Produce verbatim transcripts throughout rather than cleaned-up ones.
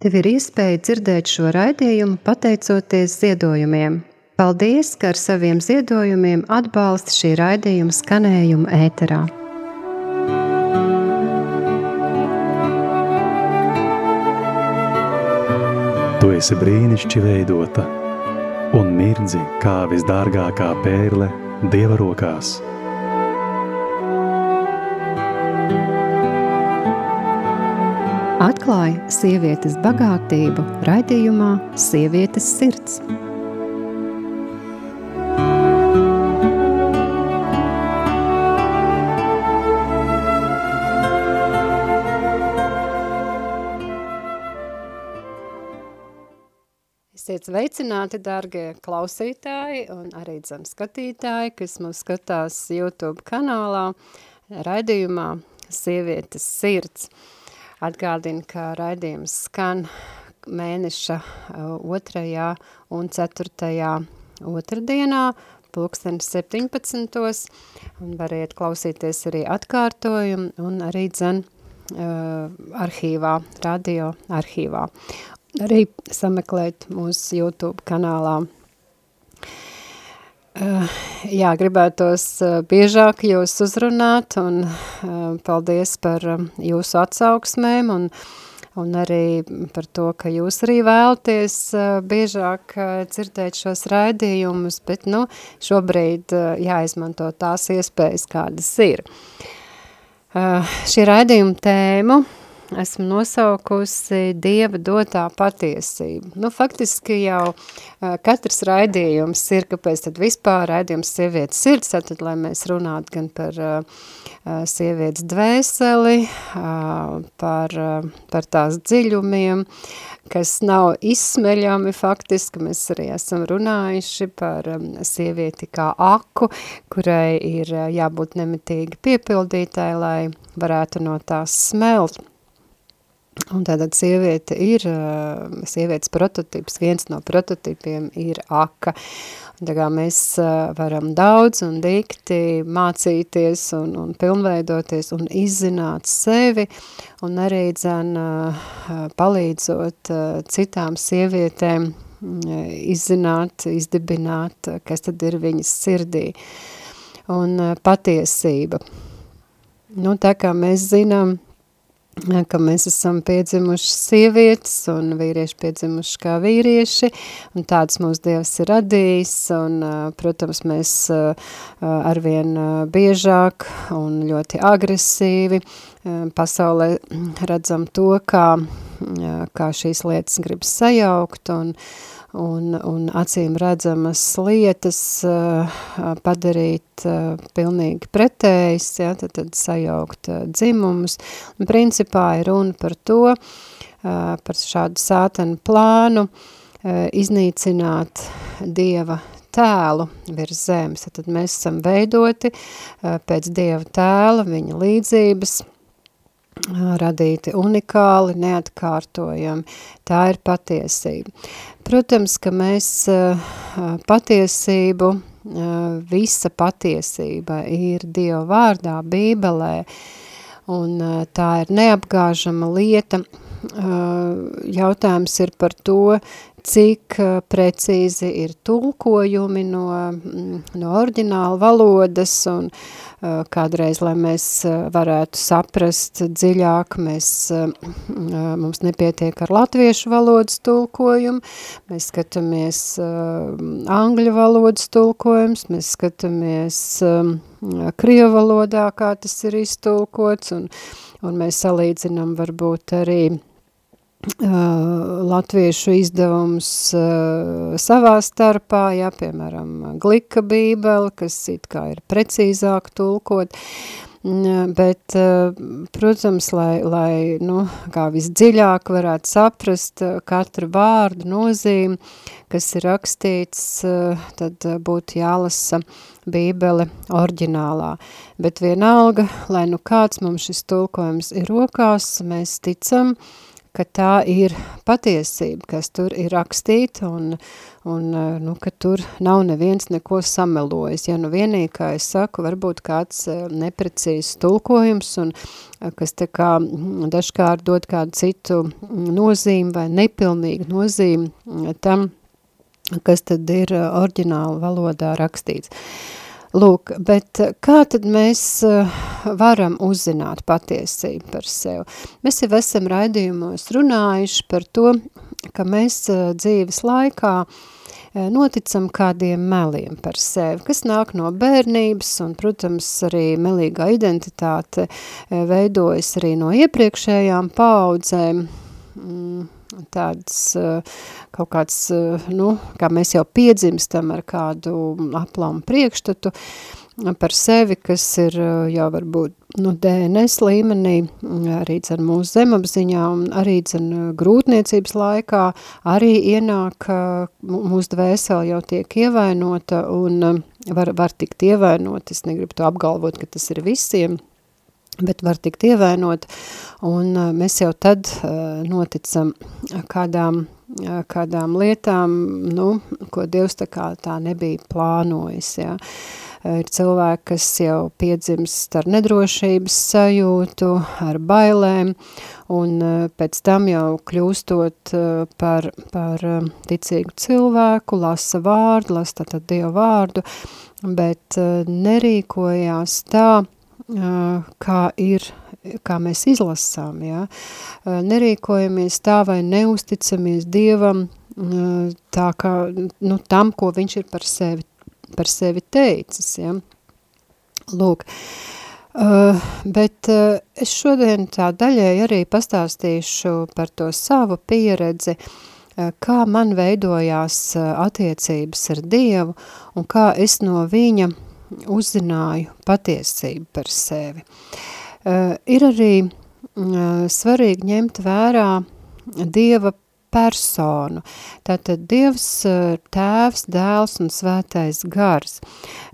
Tev ir iespēja dzirdēt šo raidījumu pateicoties ziedojumiem. Paldies, ka ar saviem ziedojumiem atbalsti šī raidījuma skanējumu ēterā. Tu esi brīnišķi veidota un mirdzi kā visdārgākā pērle Dieva rokās. Atklāj sievietes bagātību raidījumā Sievietes sirds. Esiet sveicināti, dārgie klausītāji un arī dzem skatītāji, kas mūs skatās YouTube kanālā raidījumā Sievietes sirds. Atgādinu, ka raidījums skan mēneša otrajā un ceturtajā otrdienā, pulksten septiņpadsmitos, un variet klausīties arī atkārtojumu un arī dzen uh, arhīvā, radio arhīvā. Arī sameklēt mūsu YouTube kanālā. Uh, jā, gribētos uh, biežāk jūs uzrunāt un uh, paldies par uh, jūsu atsauksmēm un, un arī par to, ka jūs arī vēlaties uh, biežāk uh, dzirdēt šos raidījumus, bet nu, šobrīd uh, jāizmanto tās iespējas, kādas ir. Uh, šī raidījuma tēmu esmu nosaukusi Dieva dotā patiesība. Nu, faktiski jau uh, katrs raidījums ir, kāpēc tad vispār raidījums Sievietes sirds, tad, lai mēs runātu gan par uh, sievietes dvēseli, uh, par, uh, par tās dziļumiem, kas nav izsmeļami faktiski. Mēs arī esam runājuši par um, sievieti kā aku, kurai ir uh, jābūt nemitīgi piepildītai, lai varētu no tās smelt. Un tātad sieviete ir, sievietes prototips, viens no prototipiem ir aka. Un tā kā mēs varam daudz un dikti mācīties un, un pilnveidoties un izzināt sevi un arī dzen palīdzot citām sievietēm izzināt, izdibināt, kas tad ir viņas sirdī. Un patiesība. Nu, tā kā mēs zinām, ka mēs esam piedzimuši sievietes un vīrieši piedzimuši kā vīrieši, un tāds mūsu Dievs ir radījis, un, protams, mēs arvien biežāk un ļoti agresīvi pasaulē redzam to, kā, kā šīs lietas grib sajaukt, un Un, un acīm redzamas lietas uh, padarīt uh, pilnīgi pretējas, ja, tad, tad sajaukt uh, dzimumus. Un principā ir runa par to, uh, par šādu sātanu plānu, uh, iznīcināt Dieva tēlu virs zemes. Tad mēs esam veidoti uh, pēc Dieva tēla, viņa līdzības, radīti unikāli, neatkārtojami. Tā ir patiesība. Protams, ka mēs patiesību, visa patiesība ir Dieva vārdā, Bībelē, un tā ir neapgāžama lieta. Jautājums ir par to, cik precīzi ir tulkojumi no, no oriģināla valodas, un kādreiz, lai mēs varētu saprast dziļāk, mēs, mums nepietiek ar latviešu valodas tulkojumu, mēs skatāmies angļu valodas tulkojums, mēs skatāmies krievu valodā, kā tas ir iztulkots, un, un mēs salīdzinām varbūt arī Uh, latviešu izdevums uh, savā starpā, ja, piemēram, Glika bībele, kas it kā ir precīzāk tulkot, uh, bet, uh, protams, lai, lai nu, kā visdziļāk varētu saprast uh, katru vārdu nozīmi, kas ir rakstīts, uh, tad uh, būtu jālasa bībele oriģinālā. Bet vienalga, lai nu kāds mums šis tulkojums ir rokās, mēs ticam, ka tā ir patiesība, kas tur ir rakstīta un, un nu, ka tur nav neviens neko samelojis. Ja nu vienīgi, kā es saku, varbūt kāds neprecīzs tulkojums un kas tā kā dažkārt dod kādu citu nozīmi vai nepilnīgu nozīmi tam, kas tad ir oriģināla valodā rakstīts. Lūk, bet kā tad mēs varam uzzināt patiesību par sevi? Mēs jau esam raidījumos runājuši par to, ka mēs dzīves laikā noticam kādiem meliem par sevi, kas nāk no bērnības, un, protams, arī melīgā identitāte veidojas arī no iepriekšējām paaudzēm, tādas kaut kāds, nu, kā mēs jau piedzimstam ar kādu aplamu priekšstatu par sevi, kas ir jau varbūt, nu, D N S līmenī, arī dzen mūsu zemapziņā un arī dzen grūtniecības laikā, arī ienāk mūsu dvēseli jau tiek ievainota un var, var tikt ievainot, es negribu to apgalvot, ka tas ir visiem, bet var tikt ievainot, un mēs jau tad uh, noticam kādām, uh, kādām lietām, nu, ko Dievs tā kā tā nebija plānojis, jā. Uh, ir cilvēki, kas jau piedzimst ar nedrošības sajūtu, ar bailēm, un uh, pēc tam jau kļūstot uh, par, par uh, ticīgu cilvēku, lasa vārdu, lasa tātad Dievu vārdu, bet uh, nerīkojās tā, kā ir, kā mēs izlasām, jā. Nerīkojamies tā vai neusticamies Dievam tā kā, nu, tam, ko viņš ir par sevi, par sevi teicis, jā. Lūk, uh, bet uh, es šodien tā daļai arī pastāstīšu par to savu pieredzi, uh, kā man veidojās uh, attiecības ar Dievu un kā es no viņa uzzināju patiesību par sevi. Uh, ir arī uh, svarīgi ņemt vērā Dieva personu. Tātad Dievs uh, tēvs, dēls un svētais gars.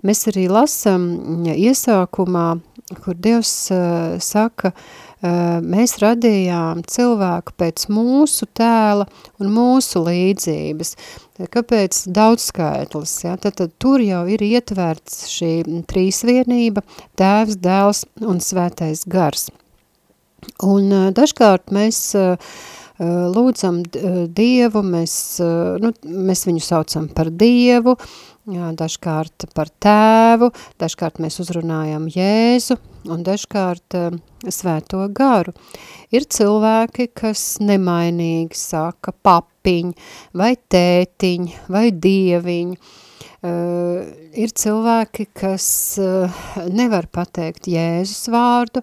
Mēs arī lasam iesākumā, kur Dievs uh, saka, uh, mēs radījām cilvēku pēc mūsu tēla un mūsu līdzības. Kāpēc daudzskaitlis? Ja? Tad, tad tur jau ir ietverts šī trīsvienība, tēvs, dēls un svētais gars. Un uh, dažkārt mēs uh, lūdzam Dievu, mēs, uh, nu, mēs viņu saucam par Dievu, jā, dažkārt par tēvu, dažkārt mēs uzrunājam Jēzu un dažkārt uh, svēto garu. Ir cilvēki, kas nemainīgi saka papiņ, vai tētiņ, vai dieviņ. Uh, ir cilvēki, kas uh, nevar pateikt Jēzus vārdu,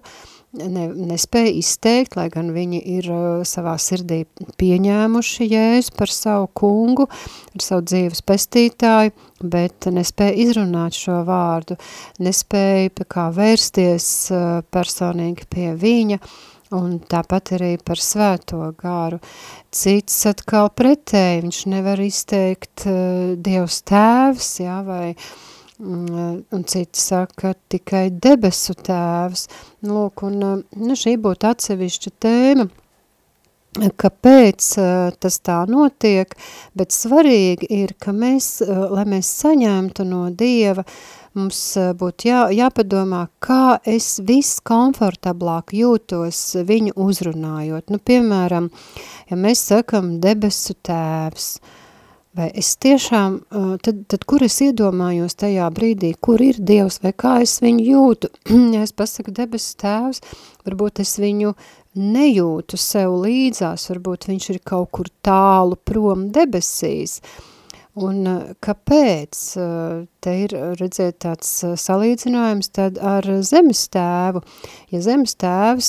ne, nespēja izteikt, lai gan viņi ir uh, savā sirdī pieņēmuši Jēzu par savu kungu, ar savu dzīves pestītāju, bet nespēja izrunāt šo vārdu, nespēja kā vērsties uh, personīgi pie viņa, un tāpat arī par svēto garu. Cits atkal pretēji, viņš nevar izteikt uh, Dievs tēvs, jā, vai, um, un citi saka tikai debesu tēvs. Lūk, un uh, nu, šī būtu atsevišķa tēma, kāpēc uh, tas tā notiek, bet svarīgi ir, ka mēs, uh, lai mēs saņemtu no Dieva, mums būtu jā, jāpadomā, kā es viskomfortablāk jūtos viņu uzrunājot. Nu, piemēram, ja mēs sakam debesu tēvs, vai es tiešām, tad, tad kur es iedomājos tajā brīdī, kur ir Dievs, vai kā es viņu jūtu? Ja es pasaku debesu tēvs, varbūt es viņu nejūtu sev līdzās, varbūt viņš ir kaut kur tālu prom debesīs. Un kāpēc? Te ir, redzēt, tāds salīdzinājums tad ar zemes tēvu. Ja zemes tēvs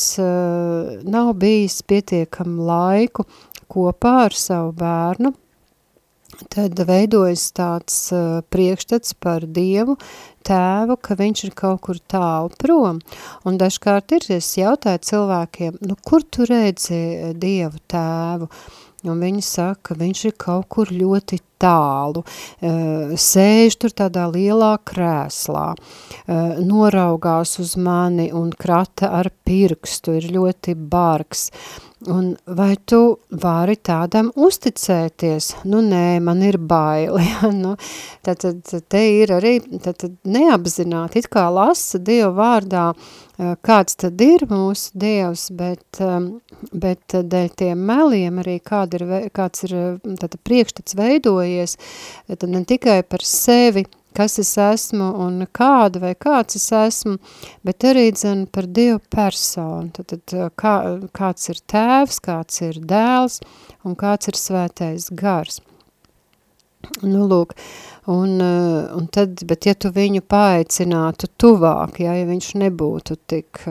nav bijis pietiekam laiku kopā ar savu bērnu, tad veidojas tāds priekšstats par Dievu tēvu, ka viņš ir kaut kur tālu prom. Un dažkārt ir, es jautāju cilvēkiem, nu kur tu redzi Dievu tēvu? Un viņi saka, viņš ir kaut kur ļoti tālu, sēž tur tādā lielā krēslā, noraugās uz mani un krata ar pirkstu, ir ļoti bargs. Un vai tu vari tādam uzticēties? Nu, nē, man ir baili. Ja? Nu, tad, tad te ir arī tad, tad neapzināti, it kā lasa Dievu vārdā, kāds tad ir mūsu Dievs, bet, bet dēļ tiem meliem arī kāda ir, kāds ir tad priekšstats veidojies, tad ne tikai par sevi, kas es esmu un kāda vai kāds es esmu, bet arī dzen par Dievu personu. Tad, tad kā, kāds ir tēvs, kāds ir dēls un kāds ir svētais gars. Nu, lūk, un, un tad, bet ja tu viņu paaicinātu tuvāk, ja, ja viņš nebūtu tik,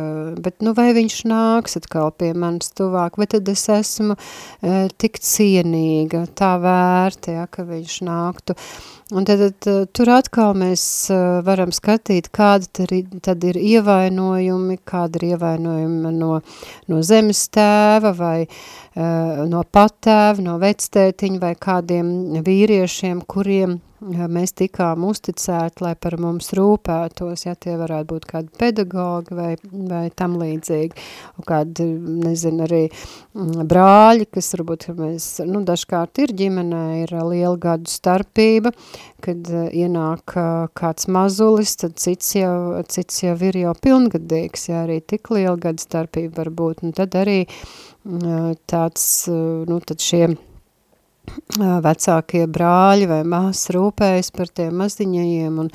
bet nu vai viņš nāks atkal pie manis tuvāk, vai tad es esmu e, tik cienīga, tā vērta, ja, ka viņš nāktu. Un tad, tad tur atkal mēs varam skatīt, kādi tad ir, tad ir ievainojumi, kādi ir ievainojumi no, no zemes tēva vai uh, no patēva, no vectētiņa vai kādiem vīriešiem, kuriem mēs tikām uzticēti, lai par mums rūpētos, ja tie varētu būt kādi pedagogi vai, vai tam līdzīgi, un kādi, nezinu, arī brāļi, kas varbūt mēs, nu, dažkārt ir ģimenē, ir liela gadu starpība, kad ienāk kāds mazulis, tad cits jau, cits jau ir jau pilngadīgs, ja arī tik liela gadu starpība var būt, un tad arī tāds, nu, tad šie vecākie brāļi vai māsas rūpējas par tiem maziņajiem un,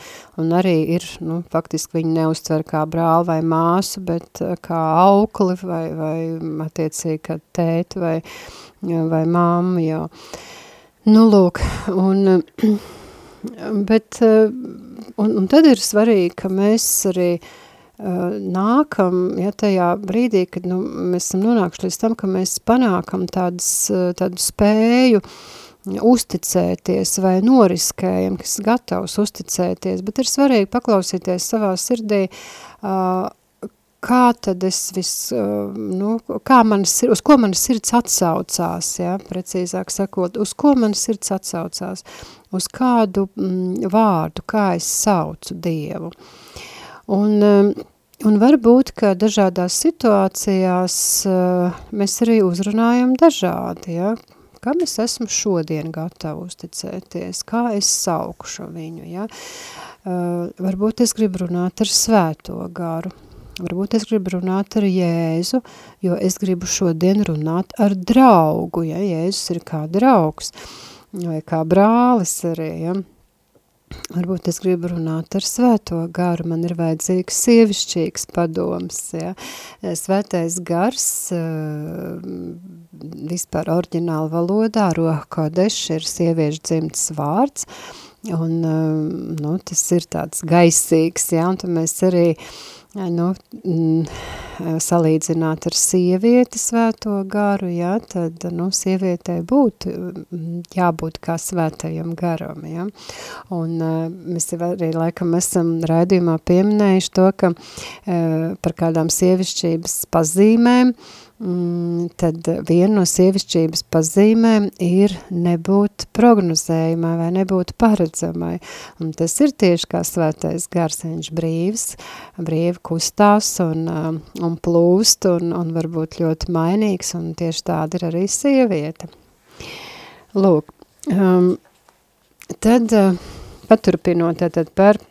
un arī ir, nu, faktiski viņi neuztver kā brāli vai māsu, bet kā aukli vai, vai attiecīgi kā tēti vai, vai mamma jau. Nu, lūk, un, bet, un, un tad ir svarīgi, ka mēs arī nākam, ja tajā brīdī, kad nu, mēs esam nonākuši līdz tam, ka mēs panākam tādas, tādu spēju uzticēties vai noriskējam, kas gatavs uzticēties, bet ir svarīgi paklausīties savā sirdī, kā tad es vis, nu, kā manas, uz ko manas sirds atsaucās, ja, precīzāk sakot, uz ko manas sirds atsaucās, uz kādu mm, vārdu, kā es saucu Dievu. Un, un varbūt, ka dažādās situācijās mēs arī uzrunājam dažādi, ja? Kam es esmu šodien gatava uzticēties, kā es saukšu viņu. Ja? Varbūt es gribu runāt ar svēto garu, varbūt es gribu runāt ar Jēzu, jo es gribu šodien runāt ar draugu, ja Jēzus ir kā draugs vai kā brālis arī, ja? Varbūt es gribu runāt ar svēto garu, man ir vajadzīgs sievišķīgs padoms, ja. Svētais gars, vispār oriģināla valodā, Ruha Kodeš ir sieviešu dzimtas vārds, un, nu, tas ir tāds gaisīgs, ja, un tad mēs arī, nu, salīdzināt ar sievieti svēto garu, ja, tad, nu, sievietei būtu jābūt kā svētajam garam, ja. Un mēs jau arī laikam esam raidījumā pieminējuši to, ka par kādām sievišķības pazīmēm, tad viena no sievišķības pazīmēm ir nebūt prognozējumai vai nebūt paredzamai. Un tas ir tieši kā svētais gars, viņš brīvs, brīvi kustās un, un plūst un, un varbūt ļoti mainīgs, un tieši tāda ir arī sieviete. Lūk, um, tad uh, paturpinot tad par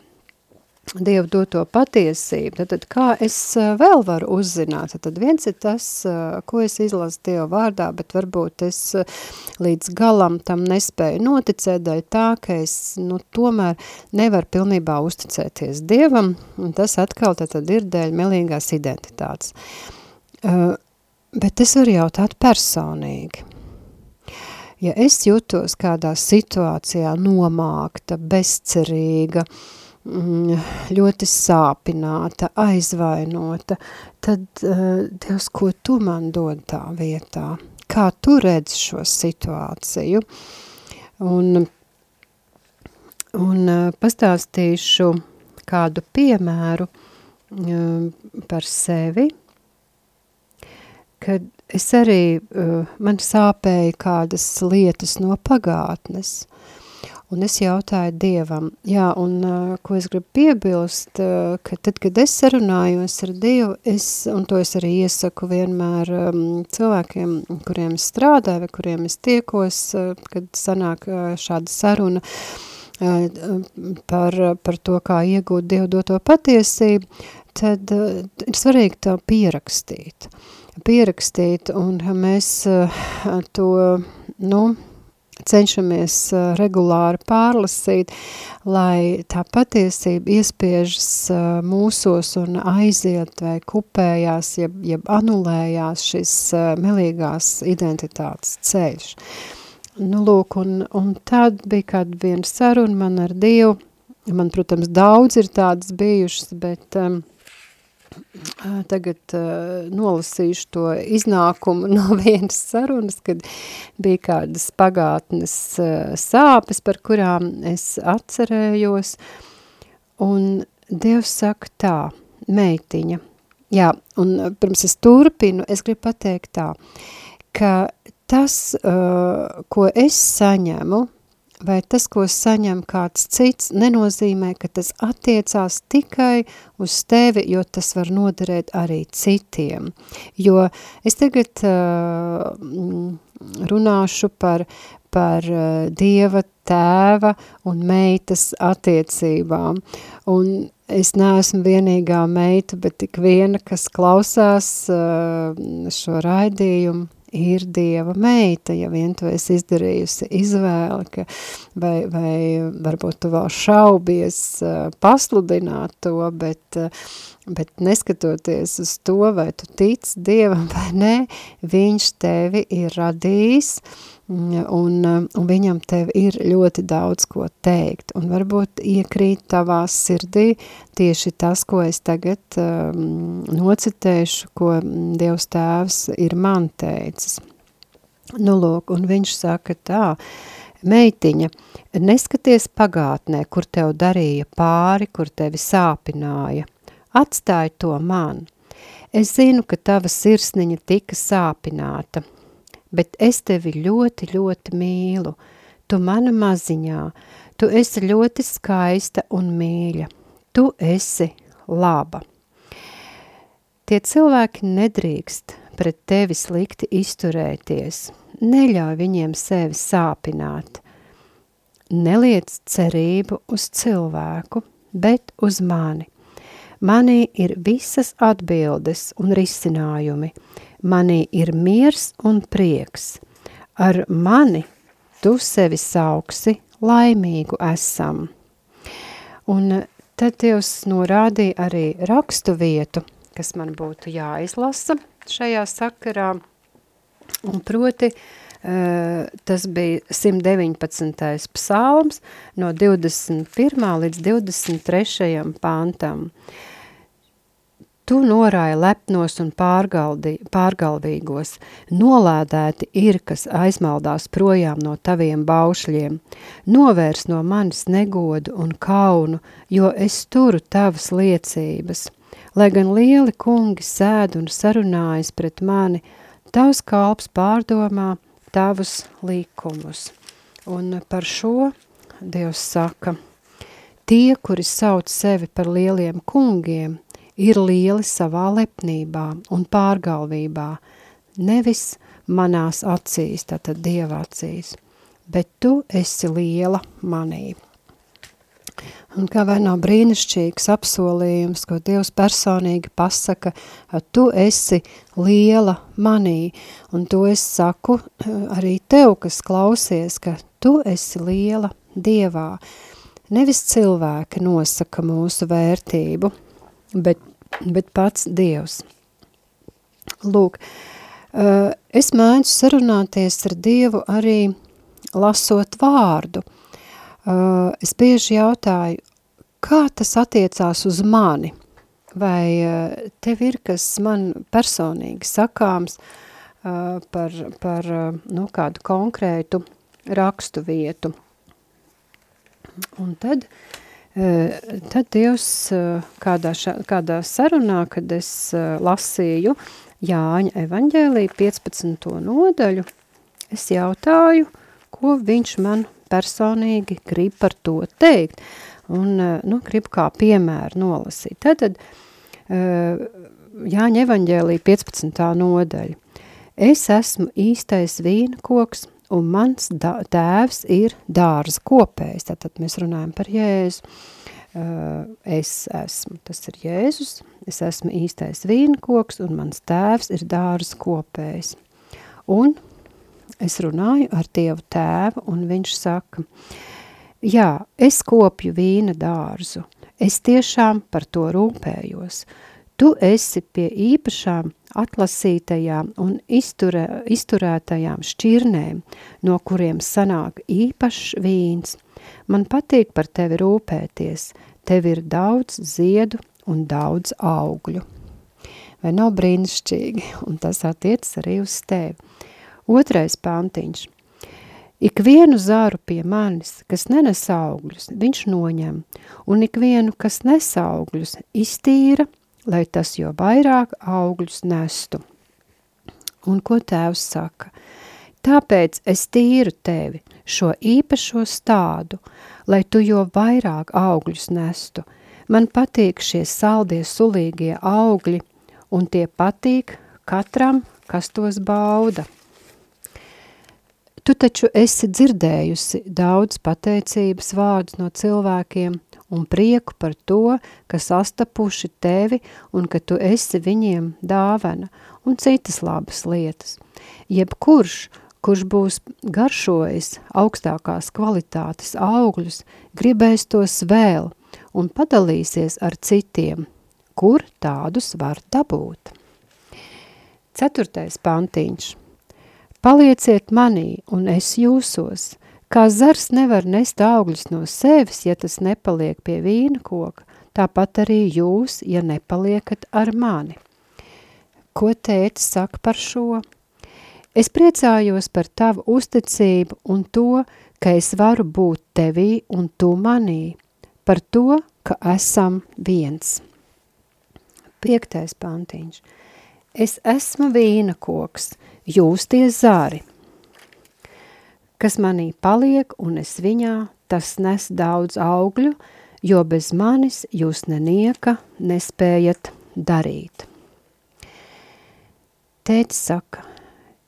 Dievu doto patiesību, tad, tad kā es vēl varu uzzināt, tad viens ir tas, ko es izlasu Dievu vārdā, bet varbūt es līdz galam tam nespēju noticēt, daļ tā, ka es, nu, tomēr nevaru pilnībā uzticēties Dievam, un tas atkal tad ir dēļ melīgās identitātes. Uh, bet es varu jautāt personīgi. Ja es jūtos kādā situācijā nomākta, bezcerīga, ļoti sāpināta, aizvainota, tad, uh, Dievs, ko tu man dod tā vietā? Kā tu redzi šo situāciju? Un, un uh, pastāstīšu kādu piemēru uh, par sevi, kad es arī, uh, man sāpēja kādas lietas no pagātnes. un es jautāju Dievam. Jā, un uh, ko es gribu piebilst, uh, ka tad, kad es sarunājos ar Dievu, es, un to es arī iesaku vienmēr um, cilvēkiem, kuriem es strādāju, vai kuriem es tiekos, uh, kad sanāk uh, šāda saruna uh, par, par to, kā iegūt Dievu doto patiesību, tad uh, ir svarīgi to pierakstīt. Pierakstīt, un mēs uh, to, nu, cenšamies uh, regulāri pārlasīt, lai tā patiesība iespiežas uh, mūsos un aiziet vai kupējās, jeb, jeb anulējās šis uh, melīgās identitātes ceļš. Nu, lūk, un, un tad bija kāda viena saruna man ar Dievu. Man, protams, daudz ir tādas bijušas, bet um, tagad uh, nolasīšu to iznākumu no vienas sarunas, kad bija kādas pagātnes uh, sāpes, par kurām es atcerējos, un Dievs saka tā, meitiņa, jā, un pirms es turpinu, es gribu pateikt tā, ka tas, uh, ko es saņemu, vai tas, ko saņem kāds cits, nenozīmē, ka tas attiecās tikai uz tevi, jo tas var noderēt arī citiem. Jo es tagad uh, runāšu par, par uh, Dieva tēva un meitas attiecībām. Un es neesmu vienīgā meita, bet tik viena, kas klausās uh, šo raidījumu, ir Dieva meita, ja vien tu esi izdarījusi izvēli, ka, vai, vai varbūt tu vēl šaubies uh, pasludināt to, bet, uh, bet neskatoties uz to, vai tu tic Dievam vai nē, viņš tevi ir radījis, un, un viņam tev ir ļoti daudz ko teikt, un varbūt iekrīt tavā sirdī tieši tas, ko es tagad um, nocitēšu, ko Dievs tēvs ir man teicis. Nu, lūk, un viņš saka tā, meitiņa, neskaties pagātnē, kur tev darīja pāri, kur tevi sāpināja, atstāj to man. Es zinu, ka tava sirsniņa tika sāpināta, bet es tevi ļoti, ļoti mīlu. Tu mana maziņā, tu esi ļoti skaista un mīļa. Tu esi laba. Tie cilvēki nedrīkst pret tevi slikti izturēties. Neļauj viņiem sevi sāpināt. Neliec cerību uz cilvēku, bet uz mani. Manī ir visas atbildes un risinājumi. Manī ir miers un prieks. Ar mani tu sevi sauksi laimīgu esam. Un tad Dievs norādīja arī rakstu vietu, kas man būtu jāizlasa šajā sakarā. Un proti, tas bija simt deviņpadsmitais psalms no divdesmit pirmā līdz divdesmit trešajam pantam. Tu norāji lepnos un pārgalvīgos, nolādēti ir, kas aizmaldās projām no taviem baušļiem, novērs no manis negodu un kaunu, jo es turu tavas liecības. Lai gan lieli kungi sēd un sarunājas pret mani, tavs kalps pārdomā tavus likumus. Un par šo Dievs saka, tie, kuri sauc sevi par lieliem kungiem, ir lieli savā lepnībā un pārgalvībā, nevis manās acīs, tātad Dieva acīs, bet tu esi liela manī. Un kā vai nav brīnišķīgs apsolījums, ko Dievs personīgi pasaka, tu esi liela manī, un to es saku arī tev, kas klausies, ka tu esi liela Dievā. Nevis cilvēki nosaka mūsu vērtību, Bet, bet pats Dievs. Lūk, es mēģinu sarunāties ar Dievu arī lasot vārdu. Es bieži jautāju, kā tas attiecās uz mani? Vai tev ir kas man personīgi sakāms par, par nu, kādu konkrētu rakstu vietu? Un tad... Tad Dievs kādā, ša, kādā sarunā, kad es lasīju Jāņa evaņģēliju piecpadsmito nodaļu, es jautāju, ko viņš man personīgi grib par to teikt. Un, nu, grib kā piemēru nolasīt. Tātad, Jāņa evaņģēlija piecpadsmitā nodaļa. Es esmu īstais vīna koks, un mans tēvs ir dārza kopējs. Tātad mēs runājam par Jēzu. Es esmu, tas ir Jēzus, es esmu īstais vīna koks, un mans tēvs ir dārza kopējs. Un es runāju ar Dievu tēvu, un viņš saka, jā, es kopju vīna dārzu, es tiešām par to rūpējos. Tu esi pie īpašām atlasītajām un izturē, izturētajām šķirnēm, no kuriem sanāk īpašs vīns. Man patīk par tevi rūpēties, tev ir daudz ziedu un daudz augļu. Vai nav brīnišķīgi? Un tas attiecas arī uz tevi. Otrais pantiņš. Ikvienu zaru pie manis, kas nenes augļus, viņš noņem, un ikvienu, kas nes augļus, iztīra, lai tas jo vairāk augļus nestu. Un ko tēvs saka? Tāpēc es tīru tevi, šo īpašo stādu, lai tu jo vairāk augļus nestu. Man patīk šie saldie sulīgie augļi, un tie patīk katram, kas tos bauda. Tu taču esi dzirdējusi daudz pateicības vārdus no cilvēkiem un prieku par to, ka sastapuši tevi un ka tu esi viņiem dāvana un citas labas lietas. Jebkurš, kurš būs garšojis augstākās kvalitātes augļus, gribēs tos vēl un padalīsies ar citiem, kur tādus var dabūt. Ceturtais pantiņš. Palieciet manī, un es jūsos, kā zars nevar nest augļus no sevis, ja tas nepaliek pie vīna koka, tāpat arī jūs, ja nepaliekat ar mani. Ko tētis saka par šo? Es priecājos par tavu uzticību un to, ka es varu būt tevī un tu manī, par to, ka esam viens. Piektais pantiņš. Es esmu vīna koks, jūs tie zari. Kas manī paliek un es viņā, tas nes daudz augļu, jo bez manis jūs nenieka nespējat darīt. Tētis saka,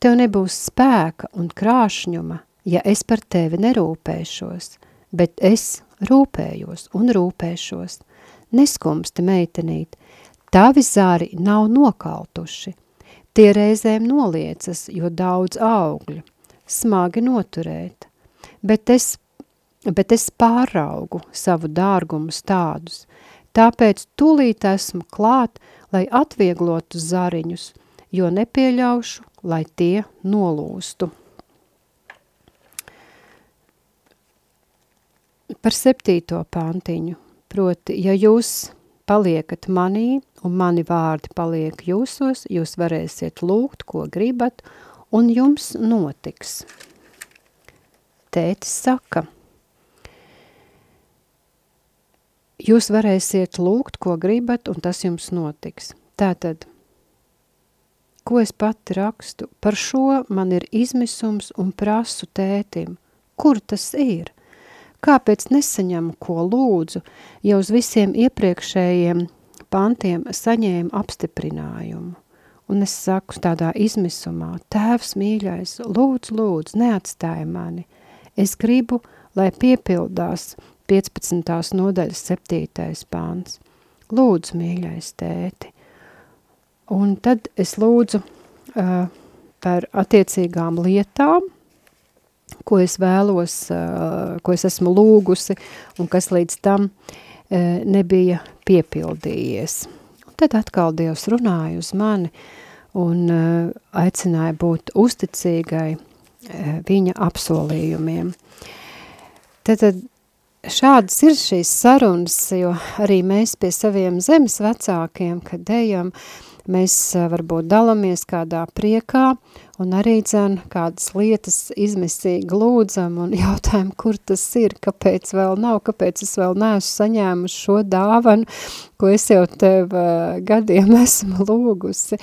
tev nebūs spēka un krāšņuma, ja es par tevi nerūpēšos, bet es rūpējos un rūpēšos. Neskumsti, meitenīt, tavi zari nav nokaltuši. Tie reizēm noliecas, jo daudz augļu, smagi noturēt, bet es, bet es pāraugu savu dārgumu stādus, tāpēc tūlīt esmu klāt, lai atvieglotu zariņus, jo nepieļaušu, lai tie nolūstu. Par septīto pantiņu, proti, ja jūs paliekat manī un mani vārdi paliek jūsos, jūs varēsiet lūgt, ko gribat, un jums notiks. Tētis saka, jūs varēsiet lūgt, ko gribat, un tas jums notiks. Tātad, ko es pati rakstu? Par šo man ir izmisums un prasu tētim. Kur tas ir? Kāpēc nesaņemu, ko lūdzu, ja uz visiem iepriekšējiem pantiem saņēmu apstiprinājumu? Un es saku tādā izmisumā, tēvs mīļais, lūdzu, lūdzu, neatstāj mani. Es gribu, lai piepildās piecpadsmitās nodaļas septītais pants. Lūdzu, mīļais tēti. Un tad es lūdzu uh, par attiecīgām lietām, ko es vēlos, uh, ko es esmu lūgusi un kas līdz tam uh, nebija piepildījies. Un tad atkal Dievs runāja uz mani un uh, aicināja būt uzticīgai uh, viņa apsolījumiem. Tad šādas ir šīs sarunas, jo arī mēs pie saviem zemes vecākiem, kad ejam, mēs varbūt dalamies kādā priekā un arī dzen kādas lietas izmisīgi lūdzam un jautājam, kur tas ir, kāpēc vēl nav, kāpēc es vēl neesmu saņēmuši šo dāvanu, ko es jau tev uh, gadiem esmu lūgusi.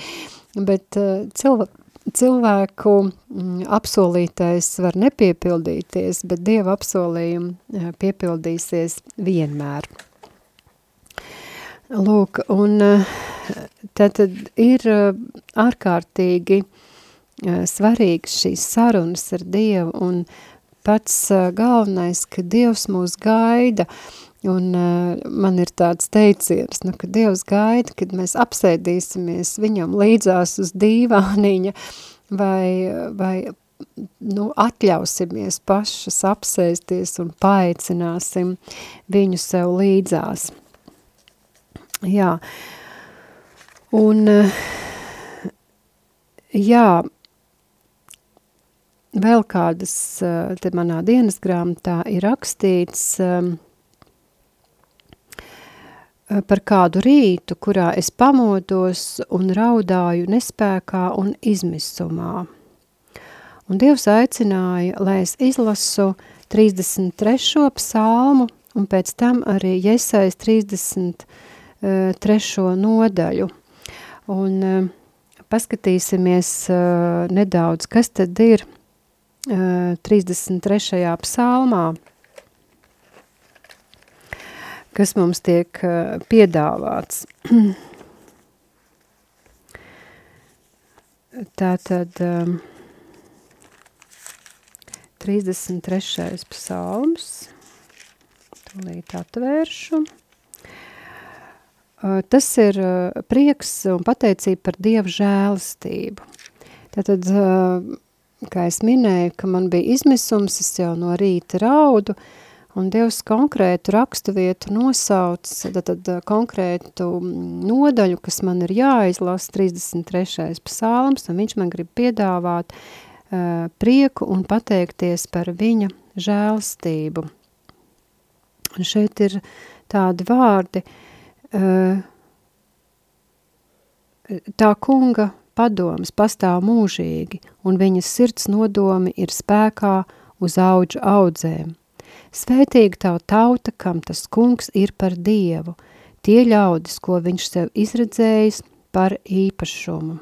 Bet uh, cilvē, cilvēku mm, apsolītais var nepiepildīties, bet Dieva apsolījumi piepildīsies vienmēr. Lūk, un tātad ir ārkārtīgi svarīgs šīs sarunas ar Dievu, un pats galvenais, ka Dievs mūs gaida, un man ir tāds teiciens, nu, ka Dievs gaida, kad mēs apsēdīsimies viņam līdzās uz dīvāniņa, vai, vai nu, atļausimies pašas apsēsties un paaicināsim viņu sev līdzās. Jā, un jā, vēl kādas, te manā dienas grāmatā ir rakstīts par kādu rītu, kurā es pamodos un raudāju nespēkā un izmisumā. Un Dievs aicināja, lai es izlasu trīsdesmit trešo psalmu un pēc tam arī Jesajas trīsdesmit trešo nodaļu. Un uh, paskatīsimies uh, nedaudz, kas tad ir uh, trīsdesmit trešajā psalmā, kas mums tiek uh, piedāvāts. Tātad um, trīsdesmit trešais psalms, tūlīt atvēršu. Tas ir prieks un pateicība par Dieva žēlastību. Tātad, kā es minēju, ka man bija izmisums, es jau no rīta raudu, un Dievs konkrētu rakstu vietu nosauc, tātad konkrētu nodaļu, kas man ir jāizlasa, trīsdesmit trešais psalms, un viņš man grib piedāvāt uh, prieku un pateikties par viņa žēlastību. Un šeit ir tādi vārdi, tā kunga padomas pastāv mūžīgi, un viņas sirds nodomi ir spēkā uz audžu audzēm. Svētīga tavu tauta, kam tas kungs ir par Dievu, tie ļaudis, ko viņš sev izredzējis par īpašumu.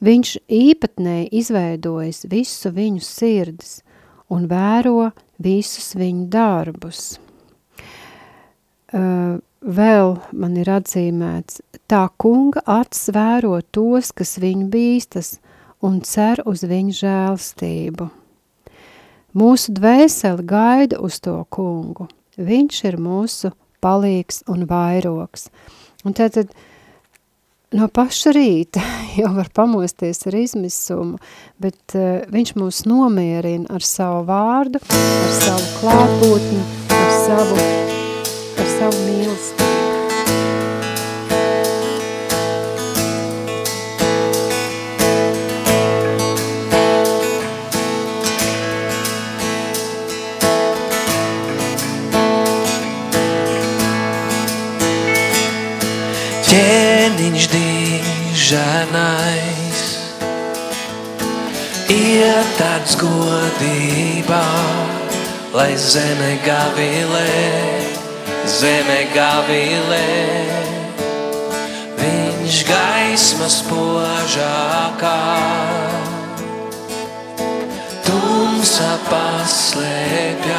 Viņš īpatnēji izveidojis visu viņu sirdis un vēro visus viņu darbus. Uh, Vēl man ir atzīmēts, tā kunga acis vēro tos, kas viņu bīstas, un cer uz viņu žēlastību. Mūsu dvēseli gaida uz to kungu. Viņš ir mūsu palīgs un vairogs. Un tātad no paša rīta jau var pamosties ar izmisumu, bet uh, viņš mūs nomierina ar savu vārdu, ar savu klātbūtni, ar savu ar savu mīlestību. Ķēniņš dīžanais ietarts godībā, lai zeme gavilē, zeme gavilē, viņš gaismas spožākā, tumsa paslēpjas,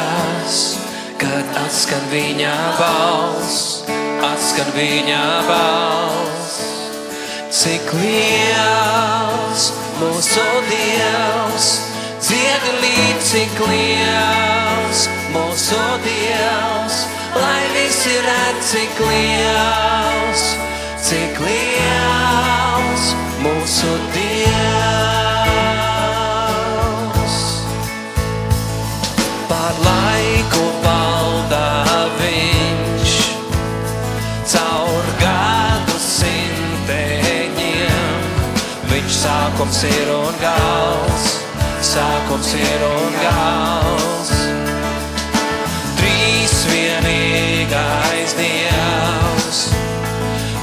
kad atskan viņa balss, atskan viņa balss. Cik liels mūsu Dievs, dziedi līdz, cik liels mūsu Dievs, lai visi redz, cik liels, cik liels mūsu Dievs. Par laiku valda viņš, caur gadu simteņiem, viņš sākums ir un gals, sākums ir un gals. Vienīgais Dievs,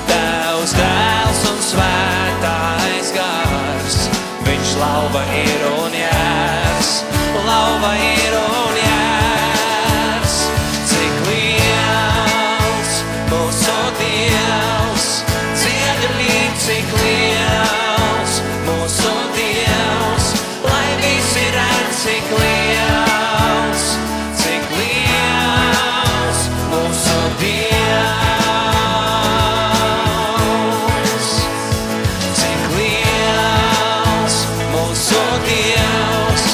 Tevs Dēls un Svētais Gars, viņš lauva ir un jērs, lauva ir un jērs. Cik liels mūsu Dievs, dziedi līdz, cik liels mūsu cik liels, cik liels mūsu Dievs. Cik liels mūsu Dievs,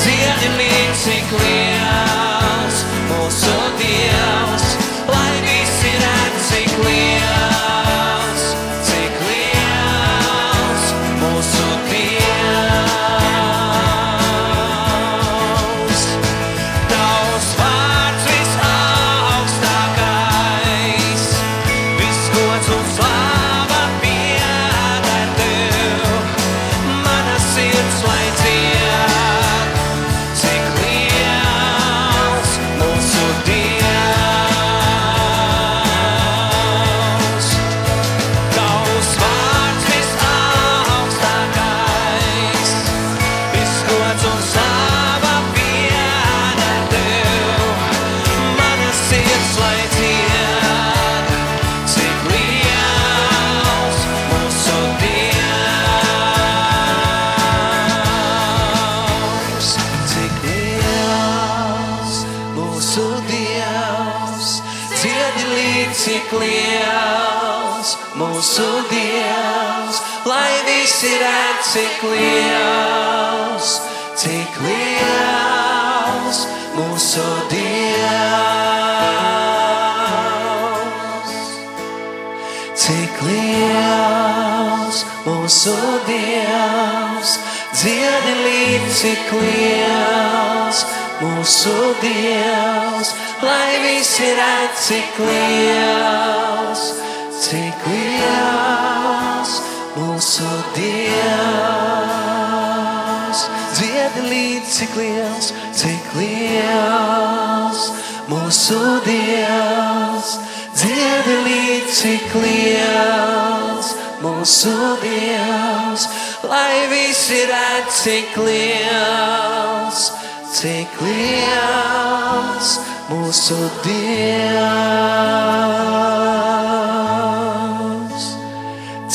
dziedinīgs, cik liels mūsu Dievs, lai visi redz, cik liels, cik liels mūsu Dievs. Tavs vārds visaugstākais, viss gods un slāva pieder Tev, mana sirds lai dzied, cik liels mūsu Dievs. Tavs vārds visaugstākais, viss gods un slāva pieder Tev, mana sirds lai dzied, cik liels mūsu Dievs. Cik liels mūsu Dievs, dziedinīgs, cik liels mūsu Dievs, lai visi redz, cik liels, cik liels mūsu Dievs. Cik liels mūsu Dievs, dziedinīgs, cik liels mūsu Dievs, lai visi redz, cik liels, cik liels mūsu Dievs. Dziedinīgs, cik liels, cik liels mūsu Dievs, dziedinīgs, cik liels mūsu Dievs, lai visi redz, cik liels, cik liels mūsu Dievs.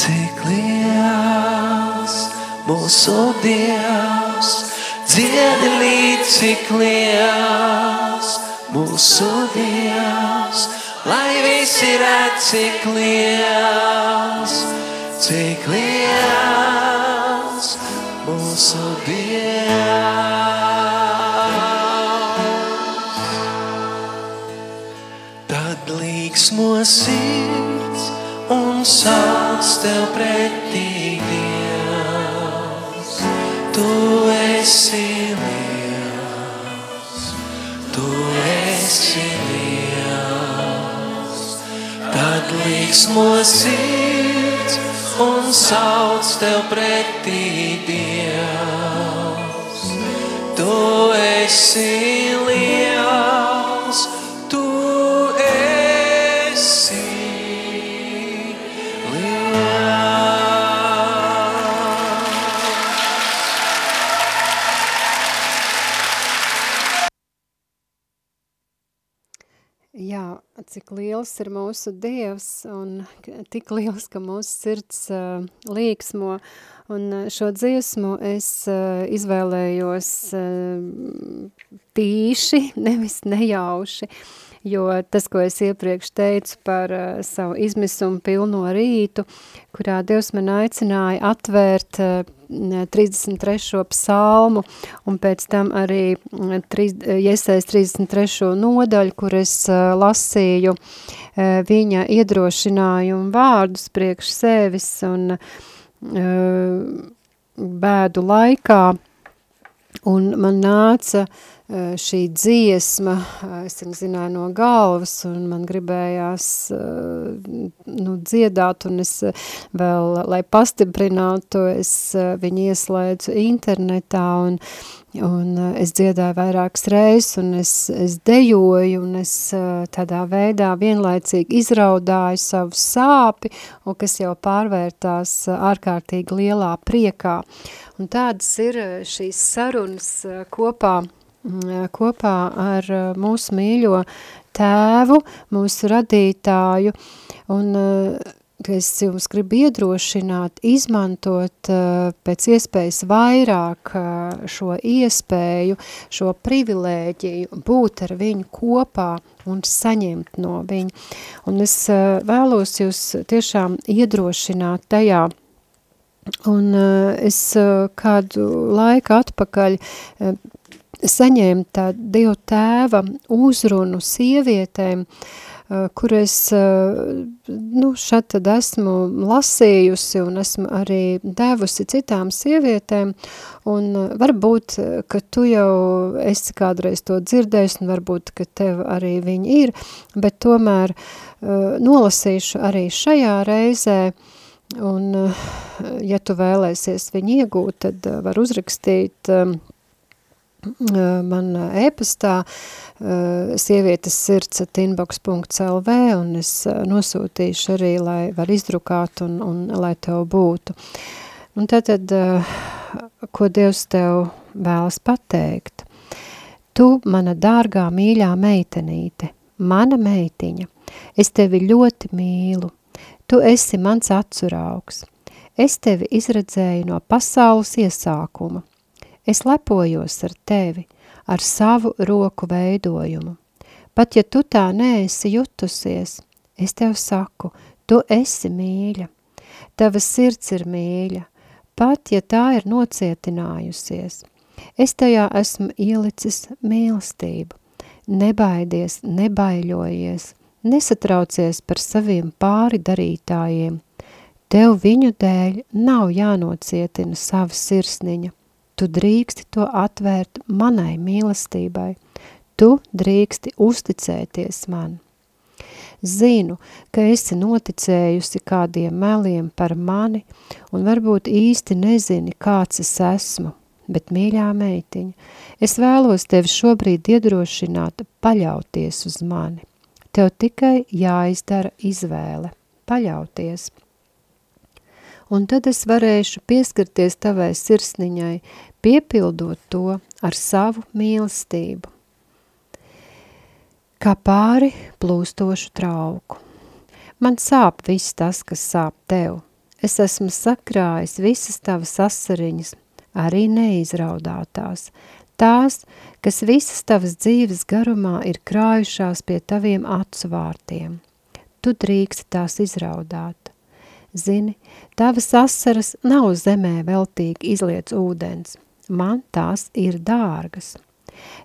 Cik liels mūsu Dievs, dziedinīgs, cik liels mūsu Dievs, lai visi redz, cik liels, cik liels mūsu Dievs. Tad līksmo sirds un sauc Tev pretī, Dievs. Tu esi liels, Tu esi liels. Tad līksmo sirds un sauc Tev pretī, Dievs. Tu esi liels, Tu esi Jā, cik liels ir mūsu Dievs un tik liels, ka mūsu sirds uh, līksmo. Un uh, šo dziesmu es uh, izvēlējos uh, tīši, nevis nejauši, jo tas, ko es iepriekš teicu par uh, savu izmisumu pilno rītu, kurā Dievs man aicināja atvērt uh, trīsdesmit trešo psalmu un pēc tam arī Jesajas trīsdesmit trešo nodaļu, kur es uh, lasīju uh, viņa iedrošinājumu vārdus priekš sevis un uh, bēdu laikā. Un man nāca uh, šī dziesma, uh, es viņu zināju no galvas, un man gribējās uh, nu, dziedāt, un es uh, vēl, lai pastiprinātu, es uh, viņu ieslēdzu internetā, un, un uh, es dziedāju vairākas reizes, un es, es dejoju, un es uh, tādā veidā vienlaicīgi izraudāju savu sāpi, un kas jau pārvērtās uh, ārkārtīgi lielā priekā. Un tādas ir šīs sarunas kopā, kopā ar mūsu mīļo tēvu, mūsu radītāju. Un es jums gribu iedrošināt, izmantot uh, pēc iespējas vairāk uh, šo iespēju, šo privilēģiju būt ar viņu kopā un saņemt no viņa. Un es uh, vēlos jūs tiešām iedrošināt tajā. Un uh, es uh, kādu laiku atpakaļ uh, saņēmu tā Dieva tēva uzrunu sievietēm, kur es, nu, šad tad esmu lasījusi un esmu arī devusi citām sievietēm, un varbūt, ka tu jau esi kādreiz to dzirdējis, un varbūt, ka tev arī viņi ir, bet tomēr nolasīšu arī šajā reizē, un, ja tu vēlēsies viņu iegūt, tad var uzrakstīt man e-pastā sievietes sirds at inbox punkt el vē, un es nosūtīšu arī, lai var izdrukāt un, un lai tev būtu. Un tātad, ko Dievs tev vēlas pateikt? Tu, mana dārgā mīļā meitenīte, mana meitiņa, es tevi ļoti mīlu. Tu esi mans acuraugs. Es tevi izredzēju no pasaules iesākuma. Es lepojos ar tevi, ar savu roku veidojumu. Pat ja tu tā neesi jutusies, es tev saku, tu esi mīļa. Tava sirds ir mīļa, pat ja tā ir nocietinājusies. Es tajā esmu ielicis mīlestību. Nebaidies, nebaiļojies, nesatraucies par saviem pāri darītājiem. Tev viņu dēļ nav jānocietina sava sirsniņa. Tu drīksti to atvērt manai mīlestībai. Tu drīksti uzticēties man. Zinu, ka esi noticējusi kādiem meliem par mani un varbūt īsti nezini, kāds es esmu, bet mīļā meitiņa, es vēlos tevi šobrīd iedrošināt paļauties uz mani. Tev tikai jāizdara izvēle, paļauties. Un tad es varēšu pieskarties tavai sirsniņai, piepildot to ar savu mīlestību. Kā pāri plūstošu trauku. Man sāp viss tas, kas sāp tev. Es esmu sakrājis visas tavas asariņas, arī neizraudātās. Tās, kas visas tavas dzīves garumā ir krājušās pie taviem acu vārtiem. Tu drīksti tās izraudāt. Zini, tavas asaras nav zemē veltīgi izliets ūdens. Man tās ir dārgas.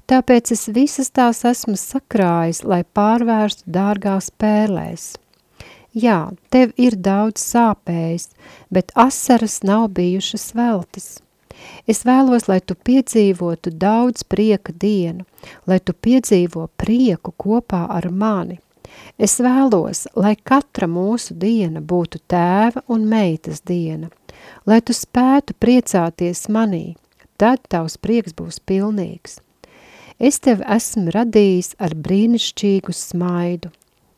Tāpēc es visas tās esmu sakrājis, lai pārvērstu dārgās pērlēs. Jā, tev ir daudz sāpējis, bet asaras nav bijušas veltes. Es vēlos, lai tu piedzīvotu daudz prieka dienu, lai tu piedzīvo prieku kopā ar mani. Es vēlos, lai katra mūsu diena būtu tēva un meitas diena, lai tu spētu priecāties manī, tad tavs prieks būs pilnīgs. Es tevi esmu radījis ar brīnišķīgu smaidu.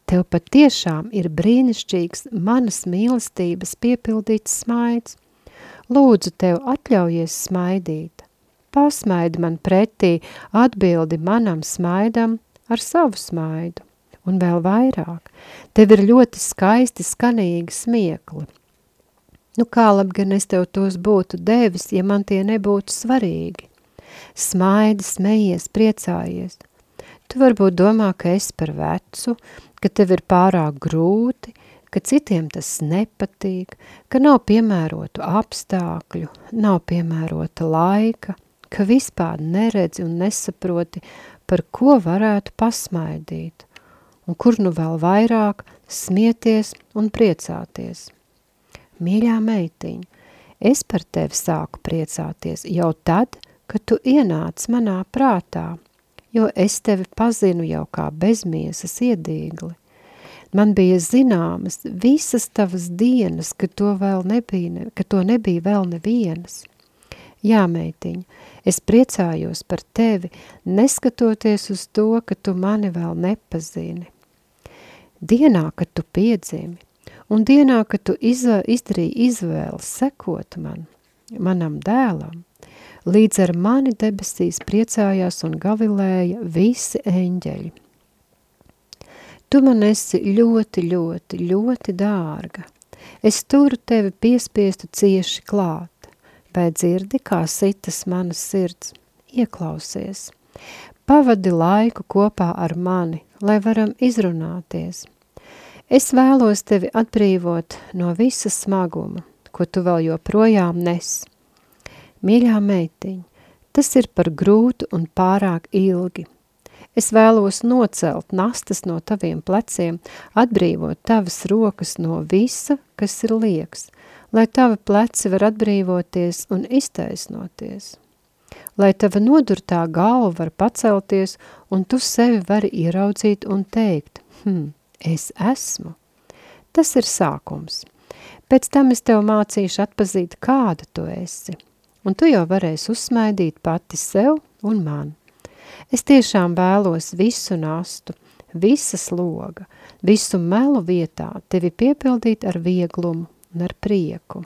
Tev patiešām ir brīnišķīgs manas mīlestības piepildīts smaids. Lūdzu, tev atļaujies smaidīt. Pasmaidi man pretī, atbildi manam smaidam ar savu smaidu. Un vēl vairāk, tev ir ļoti skaisti skanīgi smiekli. Nu kā labi, gan es tev tos būtu devis, ja man tie nebūtu svarīgi. Smaidi, smejies, priecājies. Tu varbūt domā, ka esi par vecu, ka tev ir pārāk grūti, ka citiem tas nepatīk, ka nav piemērotu apstākļu, nav piemērota laika, ka vispār neredzi un nesaproti, par ko varētu pasmaidīt. Un kur nu vēl vairāk smieties un priecāties. Mīļā meitiņa, es par tevi sāku priecāties jau tad, kad tu ienāc manā prātā, jo es tevi pazinu jau kā bezmiesas iedīgli. Man bija zināmas visas tavas dienas, ka to, vēl nebija, ka to nebija vēl nevienas. Jā, meitiņa, es priecājos par tevi, neskatoties uz to, ka tu mani vēl nepazini. Dienā, kad tu piedzimi, un dienā, kad tu izv- izdarīji izvēli sekot man, manam dēlam, līdz ar mani debesīs priecājās un gavilēja visi eņģeļi. Tu man esi ļoti, ļoti, ļoti dārga. Es turu tevi piespiestu cieši klāt, vai dzirdi, kā sitas manas sirds, ieklausies. Pavadi laiku kopā ar mani, lai varam izrunāties. Es vēlos tevi atbrīvot no visa smaguma, ko tu vēl joprojām nes. Mīļā meitiņa, tas ir par grūtu un pārāk ilgi. Es vēlos nocelt nastas no taviem pleciem, atbrīvot tavas rokas no visa, kas ir lieks, lai tavi pleci var atbrīvoties un iztaisnoties. Lai tava nodurtā galva var pacelties, un tu sevi vari ieraudzīt un teikt, hm, es esmu. Tas ir sākums. Pēc tam es tev mācīšu atpazīt, kāda tu esi, un tu jau varēsi uzsmaidīt pati sev un man. Es tiešām vēlos visu nastu, visas loga, visu melu vietā tevi piepildīt ar vieglumu un ar prieku.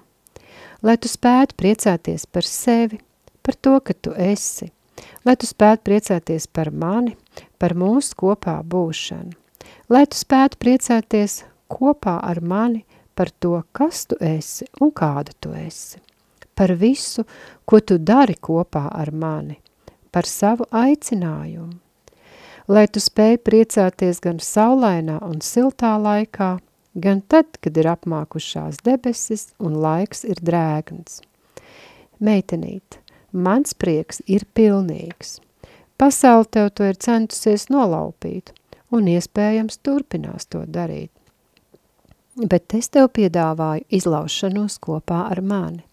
Lai tu spētu priecāties par sevi, par to, ka tu esi, lai tu spētu priecāties par mani, par mūsu kopā būšanu, lai tu spētu priecāties kopā ar mani par to, kas tu esi un kāda tu esi, par visu, ko tu dari kopā ar mani, par savu aicinājumu, lai tu spēj priecāties gan saulainā un siltā laikā, gan tad, kad ir apmākušās debesis un laiks ir drēgns. Meitenīt, mans prieks ir pilnīgs. Pasaule tev to ir centusies nolaupīt, un iespējams turpinās to darīt. Bet es tev piedāvāju izlaušanos kopā ar mani.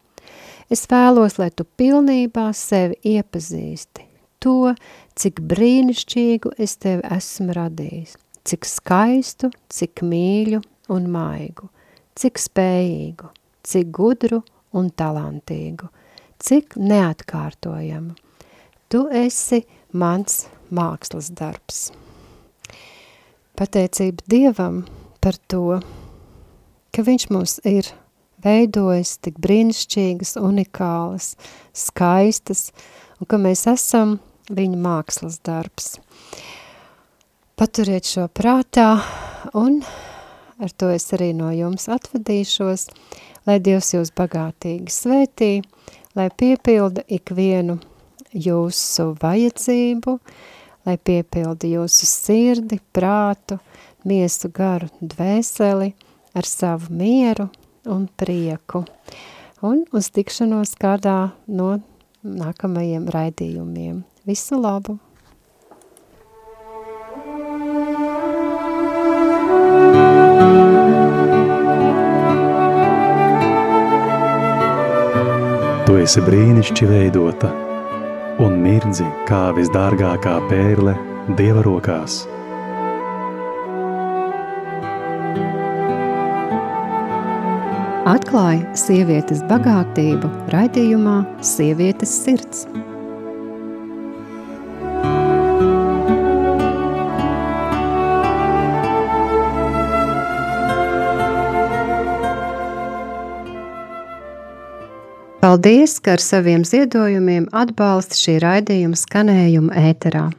Es vēlos, lai tu pilnībā sevi iepazīsti, to, cik brīnišķīgu es tevi esmu radījis, cik skaistu, cik mīļu un maigu, cik spējīgu, cik gudru un talantīgu, cik neatkārtojamu. Tu esi mans mākslas darbs. Pateicība Dievam par to, ka viņš mūs ir veidojis tik brīnišķīgas, unikālas, skaistas, un ka mēs esam viņa mākslas darbs. Paturiet šo prātā, un ar to es arī no jums atvadīšos, lai Dievs jūs bagātīgi svētī, lai piepilda ikvienu jūsu vajadzību, lai piepilda jūsu sirdi, prātu, miesu, garu, dvēseli ar savu mieru un prieku. Un uz tikšanos kādā no nākamajiem raidījumiem. Visu labu! Tu esi brīnišķi veidota un mirdzi kā visdārgākā pērle Dieva rokās. Atklāj sievietes bagātību raidījumā Sievietes sirds. Paldies, ka ar saviem ziedojumiem atbalsta šī raidījuma skanējumu ēterā.